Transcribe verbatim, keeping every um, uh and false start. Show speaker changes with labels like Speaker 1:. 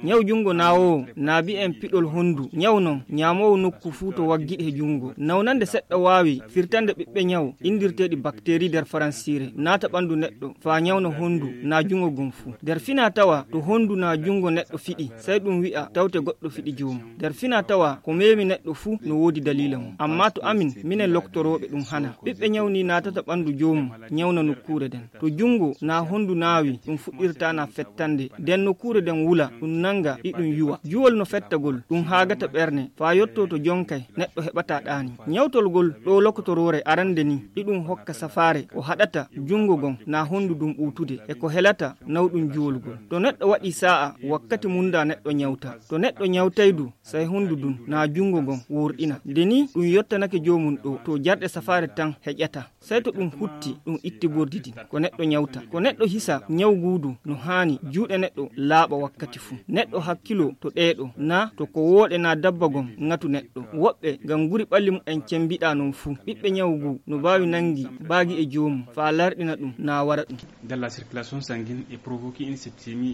Speaker 1: Nyawu jungo nawo naabi en piɗol hondu nyawu non nyamowo nokku fu to waggiɗe e jungo nawnande seɗɗa wawi firtande ɓiɓɓe nyawu indirteɗi bactérie der faransire naata ɓandu neɗɗo fa nyawna hondu na jungo gon fu der fina tawa to hondu na jungo neɗɗo fiɗi sai ɗum wi'a tawte goɗɗo fiɗi jomum der fina tawa ko memi neɗɗo fu no wodi dalila mum amma to amin minen loktoroɓe ɗum hana ɓiɓɓe nyawni naatata ɓandu jomum nyawna nokkure den to jungo na hondu nawi ɗum fuɗɗirta na fettande den nokkure den wula ɗum nanga ɗiɗum yuwa juwol no fettagol ɗum haagata ɓerne fa yotto to jonkay neɗɗo heɓata ɗaani nyawtolgol ɗo lokotorore arande ni ɗiɗum hokka safare ko haɗata jungo gon na hondu ɗum ɓutude e ko helata nawɗum juwolgol to neɗɗo waɗi sa'a wakkati munda neɗɗo nyawta to neɗɗo nyawtaydu sai hondu ɗum na jungo gon worɗina deni ɗum yottanake jomum ɗo to jarɗe safare tan heƴata sai to ɗum hutti ɗum itti bordidi ko neɗɗo nyawta ko neɗɗo hisa nyawgudu no hani juuɗe neɗɗo laaɓa wakkati fu neɗɗo hakkilo to ɗeɗo na to ko woɗe na dabba gon ngatu neɗɗo woɓɓe ngam guri ɓalli mum en cembiɗa non fu ɓiɓɓe nyawgu no bawi nangi baagi e jomum fa larɗina ɗum na wara ɗum.
Speaker 2: Dans la circulation sanguine et provoquer une septicémie